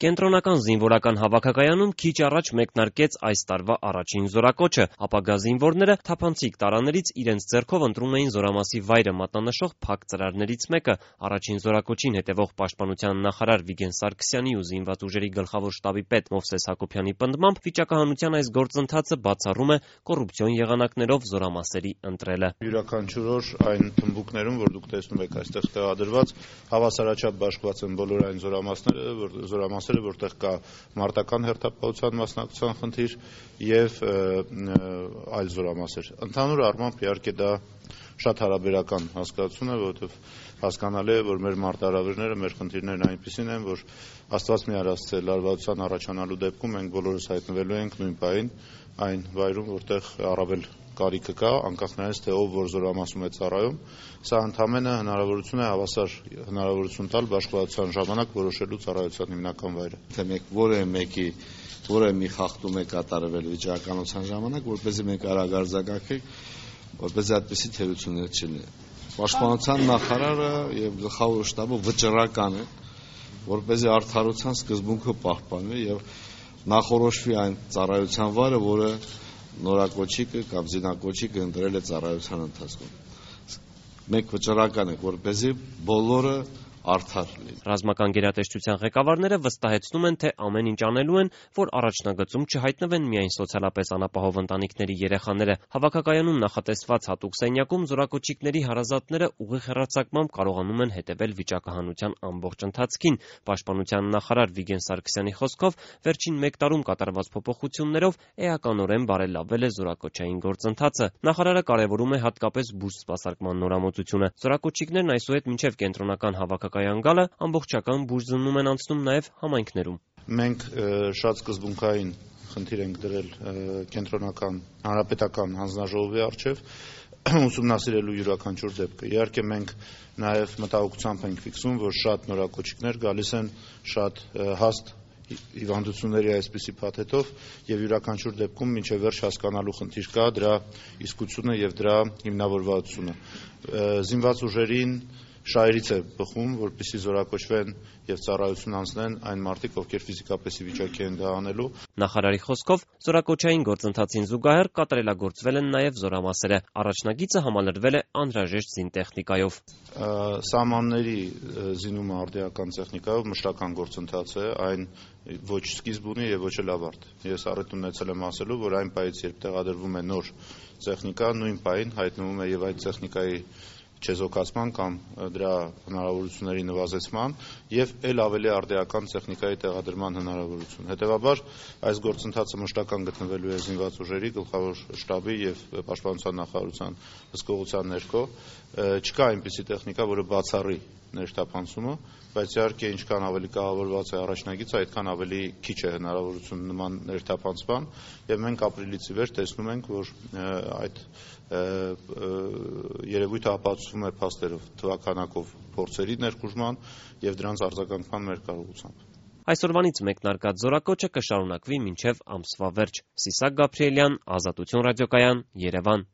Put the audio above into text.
Կենտրոնական զինվորական հավաքակայանում քիչ առաջ մեկնարկեց այս տարվա առաջին զորակոչը։ Ապագա զինվորները թափանցիկ տարաներից իրենց ձեռքով ընտրում էին զորամասի վայրը մատնանշող փակ ծրարներից մեկը։ Առաջին զորակոչին հետևող պաշտպանության նախարար Վիգեն Սարգսյանի ու զինված ուժերի գլխավոր շտաբի պետ Մովսես Հակոբյանի պնդմամբ վիճակահանության այս գործընթացը բացառում է կոռուպցիոն եղանակներով զորամասերի ընտրելը։ Յուրաքանչյուր օր այն թմբուկներում, որ դուք տեսնում եք այստեղ տեղադրված, հավասարաչափ բաշխված են բոլոր այն զորամասերը, որտեղ կա մարտական հերթապահության մասնակցության խնդիր եւ այլ զորամասեր։ Ընդհանուր առմամբ իհարկե դա շատ հարաբերական հասկացություն է, որովհետեւ հասկանալի է, որ մեր մարտահրավերները, մեր խնդիրներն այնպիսին են, որ Աստված մի արածը լարվածության առաջանալու դեպքում մենք բոլորս հայտնվելու ենք նույն պահին այն վայրում, որտեղ առավել կարիքը կա, անկախ նրանից, թե ով որ զորամասում է ծառայում, սա ընդհանրապես հնարավորություն է հավասար հնարավորություն տալ բաշխվածության ժամանակ որոշելու ծառայության հիմնական վայրը։ Թե մենք որևէ մի խախտում է կատարվել վիճակականության ժամանակ, որպեսզի մենք արագ արձագանքենք, որպեսզի այդպիսի թերություններ չլինի։ Պաշտպանության նախարարը եւ գլխավոր շտաբը վճռական է, որպեսզի արդարության սկզբունքը պահպանվի եւ նախորոշվի այն ծառայության վայրը, որը նորակոչիկը կամ զինակոչիկը ընտրել է ծառայության ընթացքում։ Մենք վճռական ենք, որպեսզի բոլորը արդար լինի։ Ռազմական գերատեսչության ղեկավարները վստահեցնում են, թե ամեն ինչ անելու են, որ առաջնագծում չհայտնվեն միայն սոցիալապես անապահով ընտանիքների երեխաները։ Հավաքակայանում նախատեսված հատուկ սենյակում զորակոչիկների հարազատները ուղիղ հեռարձակմամբ կարողանում են հետևել վիճակահանության ամբողջ ընթացքին։ Պաշտպանության նախարար Վիգեն Սարգսյանի խոսքով վերջին 1 տարում կատարված փոփոխություններով էականորեն բարելավվել է զորակոչային գործընթացը։ Նախարարը կարևորում է հատկապես բուժ սպասարկման նորամուծությունը։ Զորակոչիկներն այսուհետ մինչև կենտրոնական հավաքակայան գալը ամբողջական բուժզննում են անցնում նաև համայնքներում։ Մենք շատ սկզբունքային խնդիր ենք դրել կենտրոնական հանրապետական հանձնաժողովի առջև ուսումնասիրելու յուրաքանչյուր դեպքը։ Իհարկե մենք նաև մտահոգությամբ ենք ֆիքսում, որ շատ նորակոչիկներ գալիս են շատ հաստ հիվանդությունների այսպիսի փաթեթով եւ յուրաքանչյուր դեպքում մինչեւ վերջ հասկանալու խնդիր կա դրա իսկությունը եւ դրա հիմնավորվածությունը։ Զինված ուժերին շահերից է բխում, որպեսզի զորակոչվեն եւ ծառայություն անցնեն այն մարդիկ, ովքեր ֆիզիկապես ի վիճակի են դա անելու։ Նախարարի խոսքով զորակոչային գործընթացին զուգահեռ կատարելագործվել են նաև զորամասերը։ Առաջնագիծը համալրվել է անհրաժեշտ զինտեխնիկայով։ Սահմանների զինումը արդիական տեխնիկայով մշտական գործընթաց է, այն ոչ սկիզբ ունի եւ ոչ էլ ավարտ։ Ես առիթ ունեցել եմ ասելու, որ այն պահից, երբ տեղադրվում է նոր տեխնիկա, նույն պահին հայտնվում է եւ այդ տեխնիկայի չեզոքացման կամ դրա հնարավորությունների նվազեցման եւ ել ավելի արդիական տեխնիկայի տեղադրման հնարավորություն։ Հետևաբար այս գործընթացը մշտական գտնվելու է զինված ուժերի գլխավոր շտաբի եւ պաշտպանության նախարարության հսկողության ներքո։ Չկա այնպիսի տեխնիկա, որը բացառի ներթափանցումը, բայց իհարկե ինչքան ավելի կահավորված է առաջնագիծը, այդքան ավելի քիչ է հնարավորություն նման ներթափանցման եւ մենք ապրիլից ի վեր տեսնում ենք, որ այդ երևույթը ապացուցվում է փաստերով, թվականակով փորձերի ներխուժման եւ դրանց արձագանքման մեր կարողությամբ։ Այսօրվանից մեկնարկած զորակոչը կշարունակվի մինչև ամսվա վերջ։ Սիսակ Գաբրիելյան, Ազատություն ռադիոկայան, Երևան։